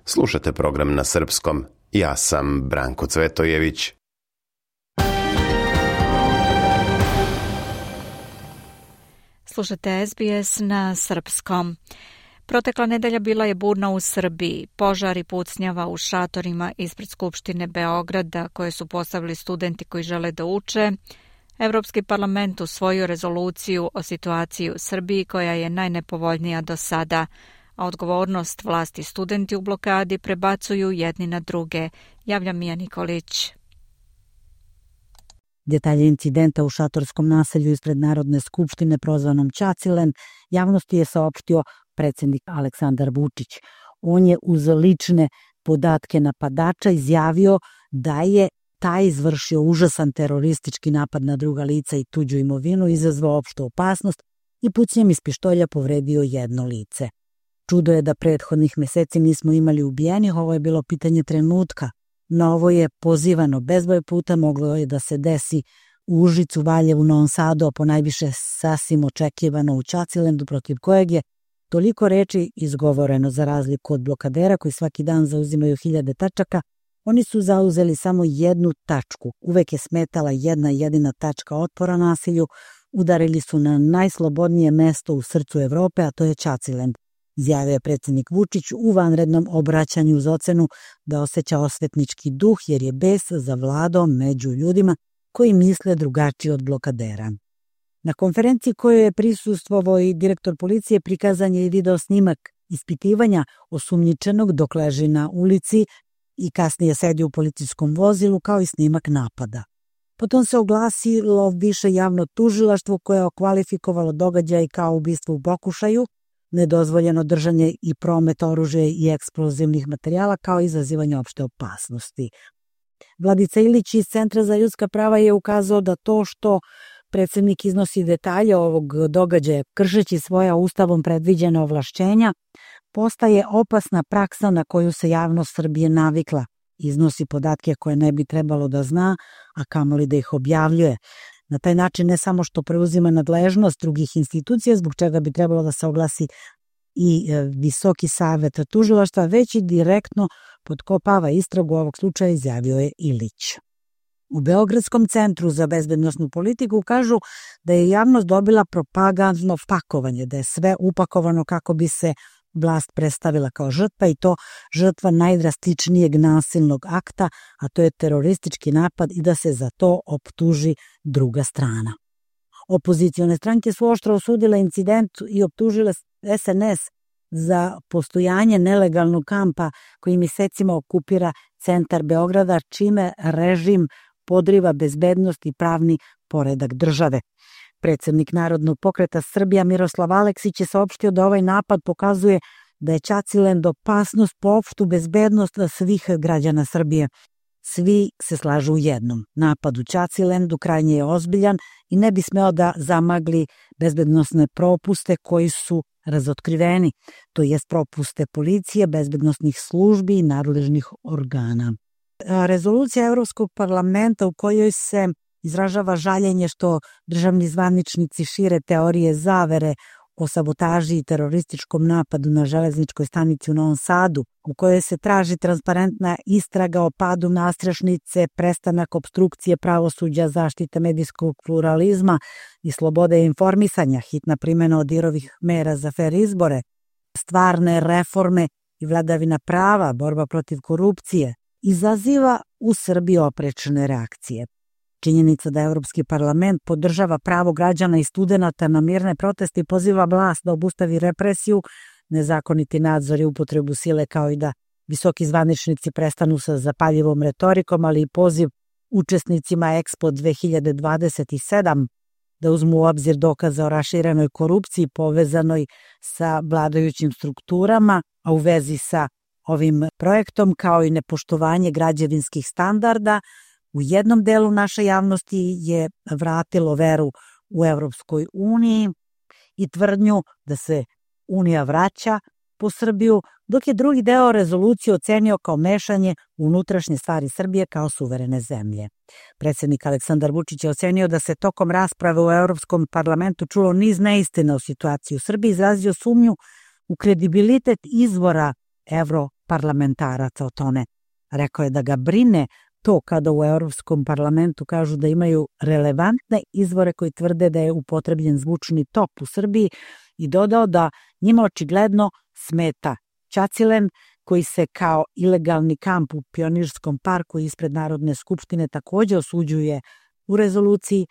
Slušate program na srpskom. Ja sam Branko Cvetojević. Slušate S B S na srpskom. Protekla nedelja bila je burna u Srbiji. Požar i pucnjava u šatorima ispred Skupštine Beograda koje su postavili studenti koji žele da uče. Evropski parlament usvojio rezoluciju o situaciji u Srbiji koja je najnepovoljnija do sada, a odgovornost vlasti studenti u blokadi prebacuju jedni na druge. Javlja Mija Nikolić. Detalje incidenta u šatorskom naselju ispred Narodne skupštine prozvanom Ćacilen javnosti je saopštio predsjednik Aleksandar Vučić. On je uz lične podatke napadača izjavio da je taj izvršio užasan teroristički napad na druga lica i tuđu imovinu, izazvao opštu opasnost i pucnjem iz pištolja povredio jedno lice. Čudo je da prethodnih meseci nismo imali ubijenih, ovo je bilo pitanje trenutka. No ovo je pozivano bezbroj puta, moglo je da se desi u Užicu, Valjevu, Novom Sadu, a po najviše sasvim očekivano u Čacilendu, protiv kojeg je toliko reči izgovoreno. Za razliku od blokadera koji svaki dan zauzimaju hiljade tačaka, oni su zauzeli samo jednu tačku. Uvek je smetala jedna jedina tačka otpora nasilju. Udarili su na najslobodnije mesto u srcu Evrope, a to je Čacilend. Izjavio je predsjednik Vučić u vanrednom obraćanju uz ocenu da osjeća osvetnički duh jer je bes zavladao među ljudima koji misle drugačije od blokadera. Na konferenciji kojoj je prisustvovao i direktor policije prikazan je i video snimak ispitivanja osumnjičenog dok leži na ulici i kasnije sedi u policijskom vozilu, kao i snimak napada. Potom se oglasilo više javno tužilaštvo koje je okvalifikovalo događaj kao ubistvo u pokušaju, nedozvoljeno držanje i promet oružja i eksplozivnih materijala kao i izazivanje opšte opasnosti. Vladica Ilić iz Centra za ljudska prava je ukazao da to što predsjednik iznosi detalje ovog događaja kršeći svoja ustavom predviđena ovlašćenja postaje opasna praksa na koju se javnost Srbije navikla. Iznosi podatke koje ne bi trebalo da zna, a kamoli da ih objavljuje. Na taj način ne samo što preuzima nadležnost drugih institucija, zbog čega bi trebalo da se oglasi i Visoki savet tužilaštva, već i direktno potkopava istragu ovog slučaja, izjavio je Ilić. U Beogradskom centru za bezbednosnu politiku kažu da je javnost dobila propagandno pakovanje, da je sve upakovano kako bi se vlast predstavila kao žrtva i to žrtva najdrastičnijeg nasilnog akta, a to je teroristički napad i da se za to optuži druga strana. Opozicione stranke su oštro osudile incident i optužile S N S za postojanje nelegalnog kampa koji mesecima okupira centar Beograda, čime režim podriva bezbednost i pravni poredak države. Predsjednik Narodnog pokreta Srbija Miroslav Aleksić je saopštio da ovaj napad pokazuje da je Čacilend opasnost po opštu bezbednost svih građana Srbije. Svi se slažu u jednom. Napad u Čacilendu krajnje je ozbiljan i ne bi smeo da zamagli bezbednosne propuste koji su razotkriveni, to jest propuste policije, bezbednosnih službi i nadležnih organa. Rezolucija Evropskog parlamenta u kojoj se izražava žaljenje što državni zvaničnici šire teorije zavere o sabotaži i terorističkom napadu na železničkoj stanici u Novom Sadu, u kojoj se traži transparentna istraga o padu nastrešnice, prestanak opstrukcije pravosuđa, zaštita medijskog pluralizma i slobode informisanja, hitna primjena Odirovih mera za fer izbore, stvarne reforme i vladavina prava, borba protiv korupcije, izaziva u Srbiji oprečne reakcije. Činjenica da Evropski parlament podržava pravo građana i studenata na mirne proteste i poziva vlast da obustavi represiju, nezakoniti nadzor i upotrebu sile, kao i da visoki zvaničnici prestanu sa zapaljivom retorikom, ali i poziv učesnicima Expo dve hiljade dvadeset sedam da uzmu u obzir dokaze o raširenoj korupciji povezanoj sa vladajućim strukturama, a u vezi sa ovim projektom, kao i nepoštovanje građevinskih standarda, u jednom delu naše javnosti je vratilo veru u Evropskoj uniji i tvrdnju da se Unija vraća po Srbiju, dok je drugi deo rezolucije ocenio kao mešanje u unutrašnje stvari Srbije kao suverene zemlje. Predsjednik Aleksandar Vučić je ocenio da se tokom rasprave u Evropskom parlamentu čulo niz neistina o situaciji u Srbiji, izrazio sumnju u kredibilitet izvora evroparlamentaraca o tome. Rekao je da ga brine to kada u Europskom parlamentu kažu da imaju relevantne izvore koji tvrde da je upotrebljen zvučni top u Srbiji i dodao da njima očigledno smeta Čacilend, koji se kao ilegalni kamp u Pionirskom parku ispred Narodne skupštine također osuđuje u rezoluciji,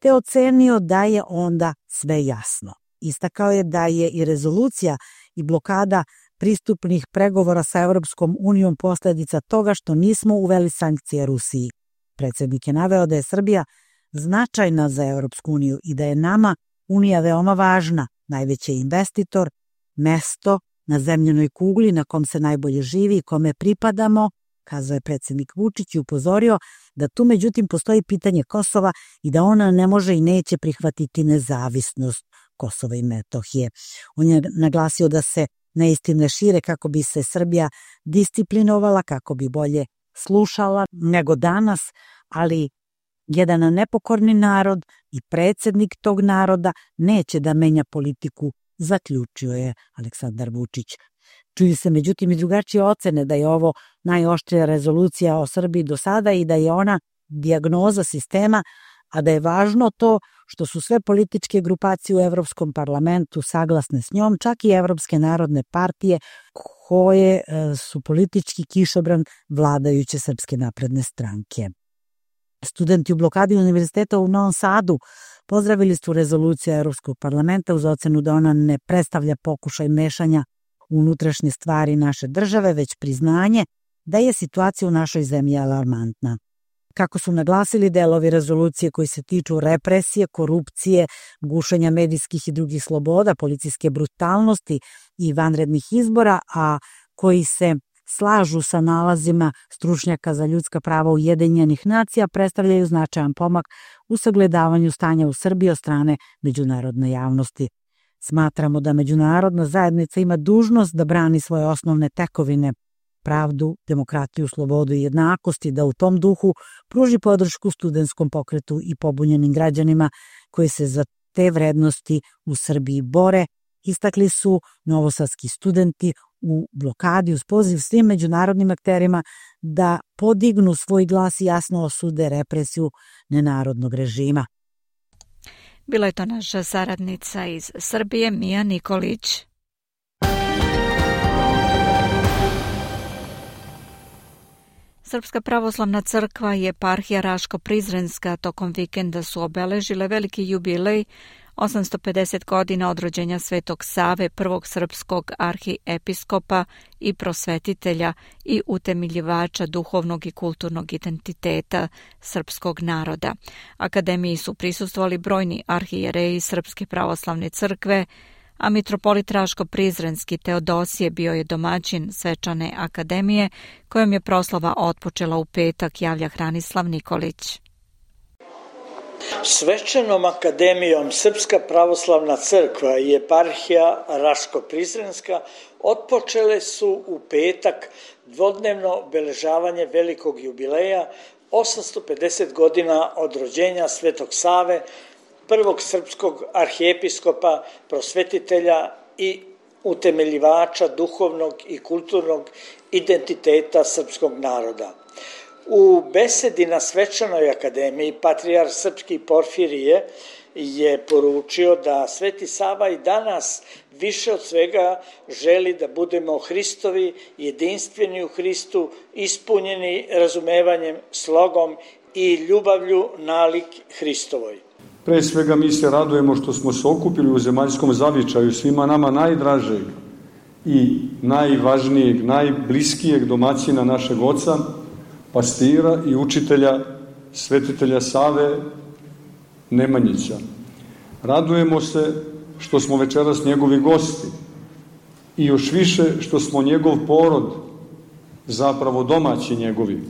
te ocenio da je onda sve jasno. Istakao je da je i rezolucija i blokada pristupnih pregovora sa Evropskom unijom posljedica toga što nismo uveli sankcije Rusiji. Predsjednik je naveo da je Srbija značajna za Evropsku uniju i da je nama Unija veoma važna, najveći investitor, mesto na zemljenoj kugli na kom se najbolje živi i kome pripadamo, kazao je predsjednik Vučić i upozorio da tu međutim postoji pitanje Kosova i da ona ne može i neće prihvatiti nezavisnost Kosova i Metohije. On je naglasio da se neistine šire kako bi se Srbija disciplinovala, kako bi bolje slušala nego danas, ali jedan nepokorni narod i predsjednik tog naroda neće da menja politiku, zaključio je Aleksandar Vučić. Čuju se međutim i drugačije ocene da je ovo najoštrija rezolucija o Srbiji do sada i da je ona dijagnoza sistema, a da je važno to što su sve političke grupacije u Evropskom parlamentu saglasne s njom, čak i Evropske narodne partije koje su politički kišobran vladajuće Srpske napredne stranke. Studenti u blokadi univerziteta u Novom Sadu pozdravili su rezoluciju Evropskog parlamenta uz ocenu da ona ne predstavlja pokušaj mešanja u unutrašnje stvari naše države, već priznanje da je situacija u našoj zemlji alarmantna. Kako su naglasili, delovi rezolucije koji se tiču represije, korupcije, gušenja medijskih i drugih sloboda, policijske brutalnosti i vanrednih izbora, a koji se slažu sa nalazima stručnjaka za ljudska prava Ujedinjenih nacija, predstavljaju značajan pomak u sagledavanju stanja u Srbiji od strane međunarodne javnosti. Smatramo da međunarodna zajednica ima dužnost da brani svoje osnovne tekovine, pravdu, demokratiju, slobodu i jednakosti, da u tom duhu pruži podršku studentskom pokretu i pobunjenim građanima koji se za te vrednosti u Srbiji bore, istakli su novosadski studenti u blokadi uz poziv svim međunarodnim akterima da podignu svoj glas i jasno osude represiju nenarodnog režima. Bila je to naša saradnica iz Srbije, Mija Nikolić. Srpska pravoslavna crkva i eparhija Raško-Prizrenska tokom vikenda su obeležile veliki jubilej osamsto pedeset godina od rođenja Svetog Save, prvog srpskog arhiepiskopa i prosvetitelja i utemeljivača duhovnog i kulturnog identiteta srpskog naroda. Akademiji su prisustvovali brojni arhijereji Srpske pravoslavne crkve, a mitropolit Raško-Prizrenski Teodosije bio je domaćin svečane akademije, kojom je proslava otpočela u petak, javlja Hranislav Nikolić. Svečanom akademijom Srpska pravoslavna crkva i eparhija Raško-Prizrenska otpočele su u petak dvodnevno obeležavanje velikog jubileja osamsto pedeset godina od rođenja Svetog Save, prvog srpskog arhijepiskopa, prosvetitelja i utemeljivača duhovnog i kulturnog identiteta srpskog naroda. U besedi na svečanoj akademiji patrijar srpski Porfirije je poručio da Sveti Sava i danas više od svega želi da budemo Hristovi, jedinstveni u Hristu, ispunjeni razumevanjem, slogom i ljubavlju nalik Hristovoj. Pre svega mi se radujemo što smo se okupili u zemaljskom zavičaju svima nama najdražeg i najvažnijeg, najbliskijeg domaćina našeg oca, pastira i učitelja, svetitelja Save Nemanjića. Radujemo se što smo večeras njegovi gosti i još više što smo njegov porod, zapravo domaći njegovi.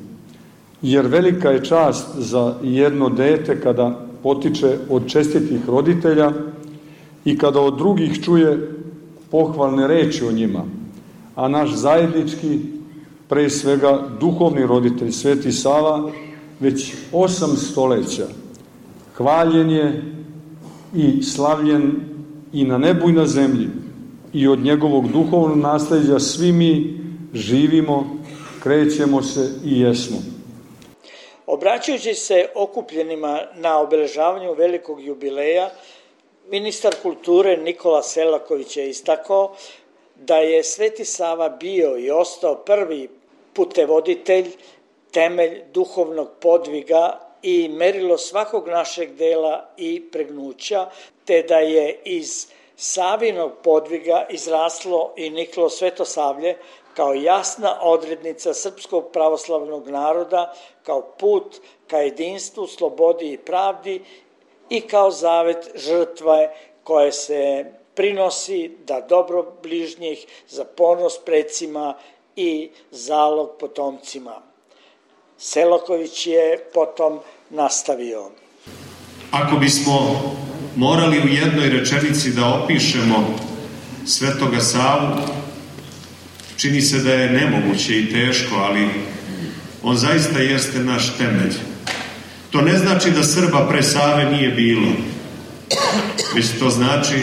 Jer velika je čast za jedno dete kada potiče od čestitih roditelja i kada od drugih čuje pohvalne reči o njima, a naš zajednički, pre svega duhovni roditelj Sveti Sava, već osam stoleća hvaljen je i slavljen i na nebu i na zemlji, i od njegovog duhovnog nasleđa svi mi živimo, krećemo se i jesmo. Obraćajući se okupljenima na obeležavanju velikog jubileja, ministar kulture Nikola Selaković je istakao da je Sveti Sava bio i ostao prvi putevoditelj, temelj duhovnog podviga i merilo svakog našeg dela i pregnuća, te da je iz Savinog podviga izraslo i niklo Svetosavlje kao jasna odrednica srpskog pravoslavnog naroda, kao put ka jedinstvu, slobodi i pravdi i kao zavet žrtve koje se prinosi da dobro bližnjih za ponos precima i zalog potomcima. Selaković je potom nastavio. Ako bismo morali u jednoj rečenici da opišemo Svetoga Savu, čini se da je nemoguće i teško, ali on zaista jeste naš temelj. To ne znači da Srba pre Save nije bilo, već to znači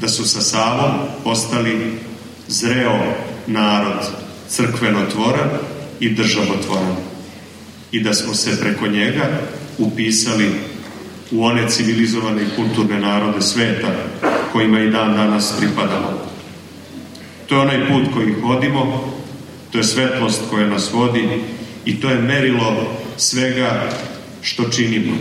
da su sa Savom postali zreo narod, crkvenotvoran i državotvoran. I da smo se preko njega upisali u one civilizovane i kulturne narode sveta kojima i dan danas pripadamo. To je onaj put koji hodimo, to je svetlost koja nas vodi i to je merilo svega što činimo.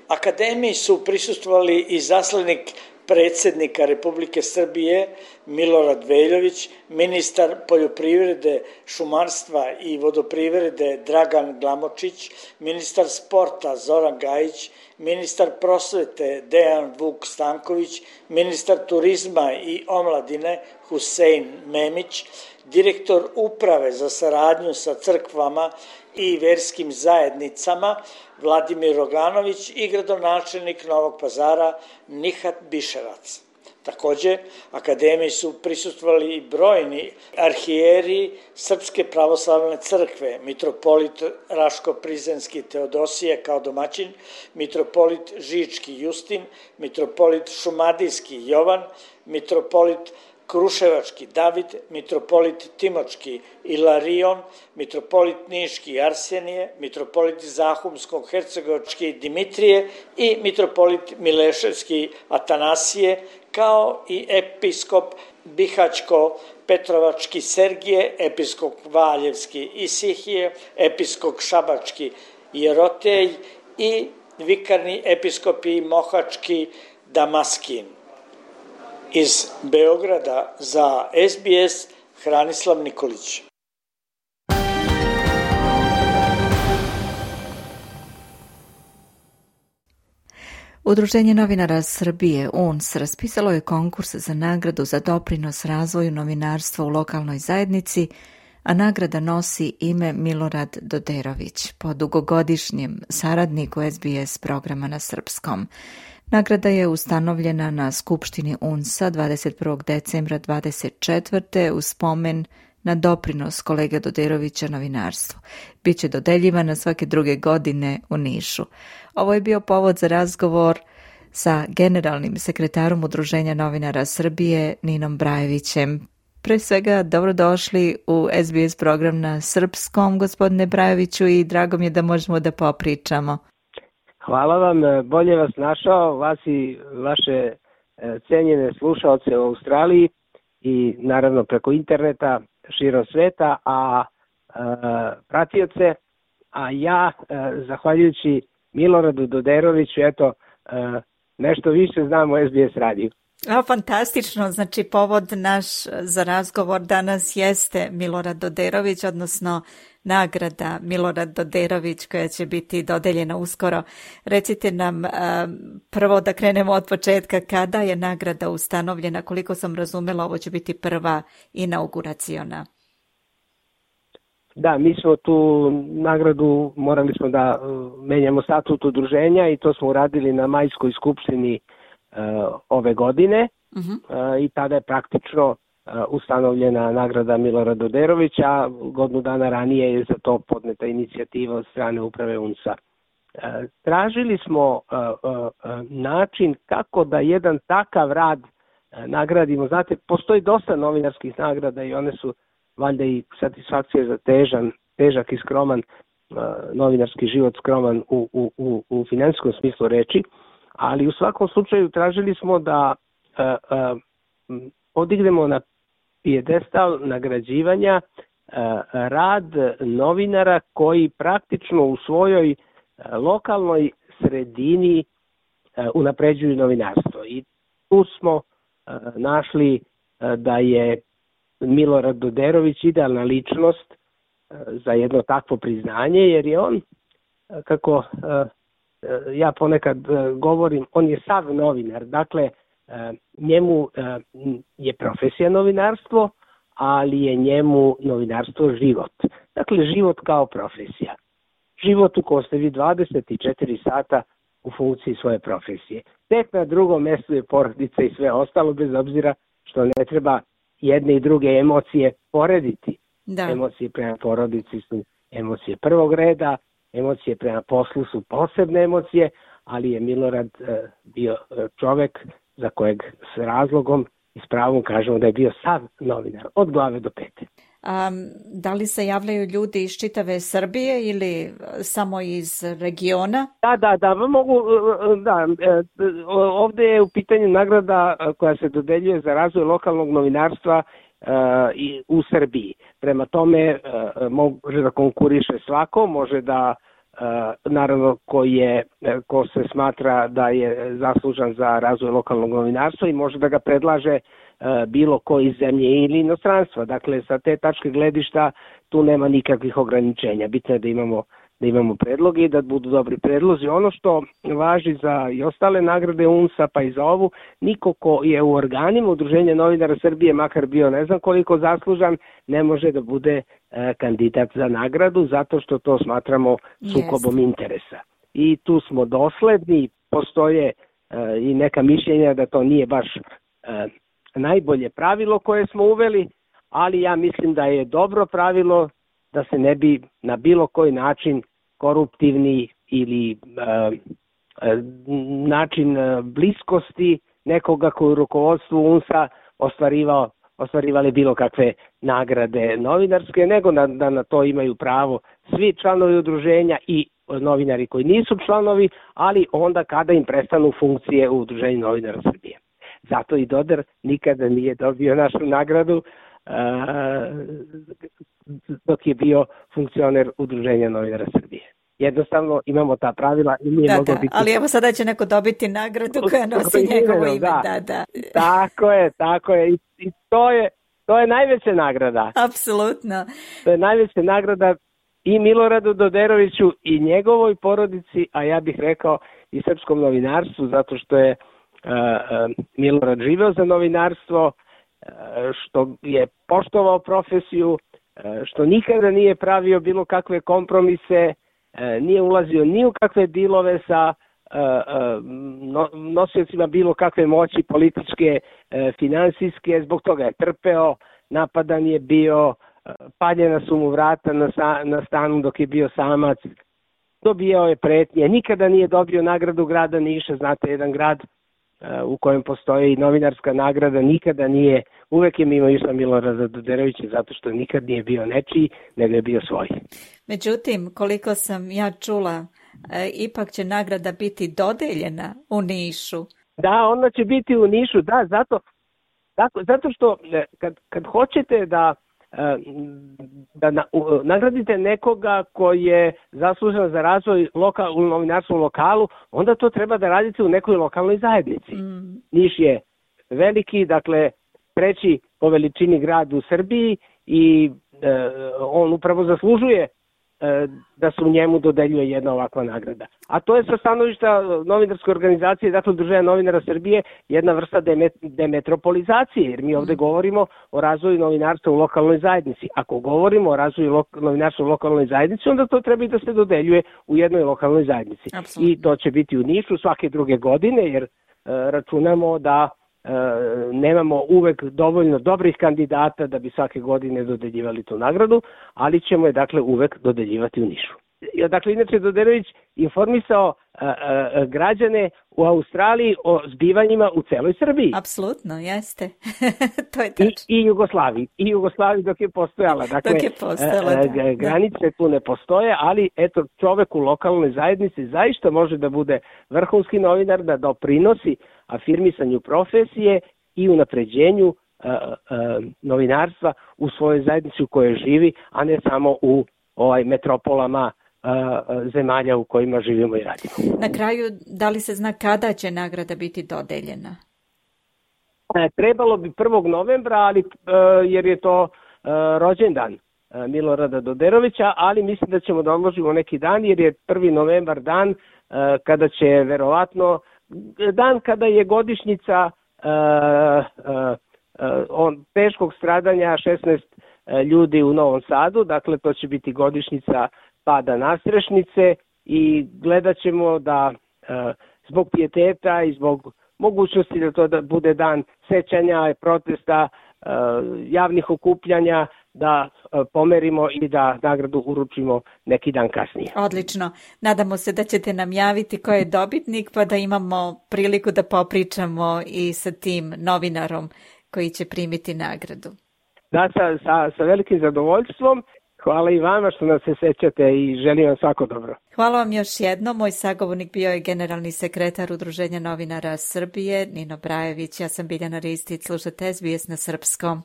Akademiji su prisustvovali i zaslanik predsjednika Republike Srbije Milorad Veljović, ministar poljoprivrede, šumarstva i vodoprivrede Dragan Glamočić, ministar sporta Zoran Gajić, ministar prosvete Dejan Vuk Stanković, ministar turizma i omladine Husein Memić, direktor uprave za saradnju sa crkvama i verskim zajednicama Vladimir Roganović i gradonačelnik Novog Pazara Nihat Biševac. Također, akademiji su prisustvovali i brojni arhijeri Srpske pravoslavne crkve, mitropolit Raško-Prizrenski Teodosije kao domaćin, mitropolit Žički Justin, mitropolit Šumadijski Jovan, mitropolit Kruševački David, mitropolit Timočki Ilarion, mitropolit Niški Arsenije, mitropolit Zahumsko-Hercegovački Dimitrije i mitropolit Mileševski Atanasije, kao i episkop Bihaćko-Petrovački Sergije, episkop Valjevski Isihije, episkop Šabački Jerotej i vikarni episkopi Mohački Damaskin. Iz Beograda za S B S Hranislav Nikolić. Udruženje novinara Srbije U N S raspisalo je konkurs za nagradu za doprinos razvoju novinarstva u lokalnoj zajednici, a nagrada nosi ime Milorad Doderović, po dugogodišnjem saradniku S B S programa na srpskom. Nagrada je ustanovljena na Skupštini U N S-a dvadeset prvog decembra dvadeset četvrte u spomen na doprinos kolege Doderovića novinarstvu. Biće dodeljivana svake druge godine u Nišu. Ovo je bio povod za razgovor sa generalnim sekretarom Udruženja novinara Srbije Ninom Brajevićem. Pre svega, dobrodošli u S B S program na srpskom, gospodine Brajeviću, i drago mi je da možemo da popričamo. Hvala vam, bolje vas našao, vas i vaše cenjene slušaoce u Australiji i naravno preko interneta širom sveta, a e, pratioce, a ja, e, zahvaljujući Miloradu Doderoviću, eto, e, nešto više znam o S B S radiju. A, fantastično, znači povod naš za razgovor danas jeste Milorad Doderović, odnosno nagrada Milorad Doderović koja će biti dodeljena uskoro. Recite nam prvo da krenemo od početka, kada je nagrada ustanovljena, koliko sam razumela ovo će biti prva inauguraciona. Da, mi smo tu nagradu, morali smo da menjamo statut udruženja i to smo uradili na majskoj skupštini ove godine. Uh-huh. I tada je praktično ustanovljena nagrada Milorada Doderovića, godinu dana ranije je za to podneta inicijativa od strane uprave U N S-a. Tražili smo način kako da jedan takav rad nagradimo. Znate, postoji dosta novinarskih nagrada i one su valjda i satisfakcija za težan, težak i skroman novinarski život, skroman u, u, u, u finansijskom smislu reči, ali u svakom slučaju tražili smo da podignemo na pijedestal nagrađivanja rad novinara koji praktično u svojoj lokalnoj sredini unapređuju novinarstvo. I tu smo našli da je Milorad Doderović idealna ličnost za jedno takvo priznanje, jer je on, kako ja ponekad govorim, on je sav novinar. Dakle, njemu je profesija novinarstvo, ali je njemu novinarstvo život. Dakle, život kao profesija. Život u kojem ste vi dvadeset četiri sata u funkciji svoje profesije. Tek na drugom mjestu je porodica i sve ostalo, bez obzira što ne treba jedne i druge emocije porediti. Da. Emocije prema porodici su emocije prvog reda, emocije prema poslu su posebne emocije, ali je Milorad e, bio čovek za kojeg s razlogom i s pravom kažemo da je bio sav novinar, od glave do pete. A, da li se javljaju ljudi iz čitave Srbije ili samo iz regiona? Da, da, da, mogu, da, ovde je u pitanju nagrada koja se dodeljuje za razvoj lokalnog novinarstva i u Srbiji. Prema tome može da konkuriše svako, može da naravno ko, je, ko se smatra da je zaslužan za razvoj lokalnog novinarstva i može da ga predlaže bilo ko iz zemlje ili inostranstva. Dakle, sa te tačke gledišta tu nema nikakvih ograničenja. Bitno je da imamo, da imamo predloge i da budu dobri predlozi. Ono što važi za i ostale nagrade U N S A pa i za ovu, niko ko je u organima Udruženja novinara Srbije, makar bio ne znam koliko zaslužan, ne može da bude e, kandidat za nagradu zato što to smatramo sukobom yes. interesa. I tu smo dosledni, postoje e, i neka mišljenja da to nije baš e, najbolje pravilo koje smo uveli, ali ja mislim da je dobro pravilo da se ne bi na bilo koji način koruptivni ili uh, način bliskosti nekoga koji u rukovodstvu U N S A ostvarivao, ostvarivali bilo kakve nagrade novinarske, nego da, da na to imaju pravo svi članovi udruženja i novinari koji nisu članovi, ali onda kada im prestanu funkcije u Udruženju novinara Srbije. Zato i Doder nikada nije dobio našu nagradu uh, dok je bio funkcioner Udruženja novinara Srbije. Jednostavno imamo ta pravila i nije da, moglo da, biti... Ali evo sada će neko dobiti nagradu koja nosi njegovo ime. Da. Da, da. Tako je, tako je. I, i to je, to je najveća nagrada. Apsolutno. To je najveća nagrada i Miloradu Doderoviću i njegovoj porodici, a ja bih rekao i srpskom novinarstvu, zato što je uh, uh, Milorad živeo za novinarstvo, uh, što je poštovao profesiju, uh, što nikada nije pravio bilo kakve kompromise, uh, nije ulazio ni u kakve dilove sa uh, uh, no, nosiocima bilo kakve moći političke, uh, finansijske, zbog toga je trpeo, napadan je bio, paljena su mu vrata na, na stanu dok je bio samac, dobijao je pretnje, nikada nije dobio nagradu grada Niša, znate, jedan grad uh, u kojem postoji novinarska nagrada, nikada nije, uvek je mimo išla Milorada Doderovića zato što nikad nije bio nečiji, nego je bio svoj. Međutim, koliko sam ja čula, e, ipak će nagrada biti dodeljena u Nišu. Da, ona će biti u Nišu, da, zato, tako, zato što kad, kad hoćete da da na, u, nagradite nekoga koji je zaslužan za razvoj lokal, u novinarskom lokalu, onda to treba da radite u nekoj lokalnoj zajednici. Mm. Niš je veliki, dakle treći po veličini grad u Srbiji i e, on upravo zaslužuje e, da se u njemu dodeljuje jedna ovakva nagrada. A to je sa stanovišta novinarske organizacije, dakle Udruženja novinara Srbije, jedna vrsta demet, demetropolizacije, jer mi ovde govorimo o razvoju novinarstva u lokalnoj zajednici. Ako govorimo o razvoju lok, novinarstva u lokalnoj zajednici, onda to treba i da se dodeljuje u jednoj lokalnoj zajednici. Absolutno. I to će biti u Nišu svake druge godine, jer e, računamo da e, nemamo uvek dovoljno dobrih kandidata da bi svake godine dodeljivali tu nagradu, ali ćemo je dakle uvek dodeljivati u Nišu. Dakle, inače Doderović informisao a, a, građane u Australiji o zbivanjima u celoj Srbiji. Apsolutno, jeste. To je tačno. I, I Jugoslaviji. I Jugoslaviji dok je postojala. Dakle, dok je postojala, a, da. Granice tu ne postoje, ali eto, čovek u lokalnoj zajednici zaista može da bude vrhunski novinar, da doprinosi afirmisanju profesije i unapređenju a, a, novinarstva u svojoj zajednici u kojoj živi, a ne samo u ovaj metropolama zemalja u kojima živimo i radimo. Na kraju, da li se zna kada će nagrada biti dodeljena? E, trebalo bi prvog novembra, ali e, jer je to e, rođendan e, Milorada Doderovića, ali mislim da ćemo da odložimo neki dan, jer je prvi novembar dan e, kada će verovatno, dan kada je godišnjica e, e, on, teškog stradanja šesnaest ljudi u Novom Sadu, dakle to će biti godišnjica pada Nastrešnice i gledat ćemo da e, zbog pijeteta i zbog mogućnosti da to da bude dan sećanja, protesta javnih okupljanja da pomerimo i da nagradu uručimo neki dan kasnije. Odlično. Nadamo se da ćete nam javiti ko je dobitnik pa da imamo priliku da popričamo i sa tim novinarom koji će primiti nagradu. Da, sa, sa, sa velikim zadovoljstvom. Hvala i vama što nas se sećate i želim vam svako dobro. Hvala vam još jednom. Moj sagovornik bio je generalni sekretar Udruženja novinara Srbije, Nino Brajević. Ja sam Biljana Ristić, slušate S B S na srpskom.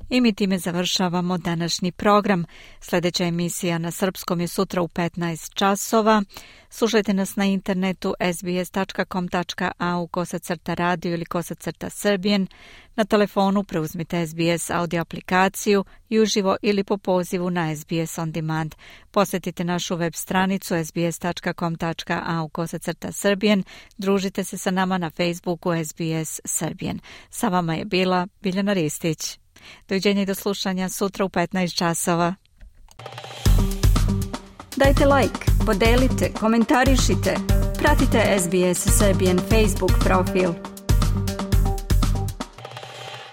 I mi time završavamo današnji program. Sljedeća emisija na srpskom je sutra u petnaest časova. Slušajte nas na internetu sbs tačka com tačka a u kosacrta radio ili kosacrta srbijen. Na telefonu preuzmite S B S audio aplikaciju i uživo ili po pozivu na S B S On Demand. Posjetite našu web stranicu sbs tačka com tačka a u kosacrta srbijen. Družite se sa nama na Facebooku S B S Srbijen. Sa vama je bila Biljana Ristić. Doviđenja i do slušanja sutra u petnaest časova. Dajte like, podelite, komentarišite. Pratite S B S Serbian Facebook profil.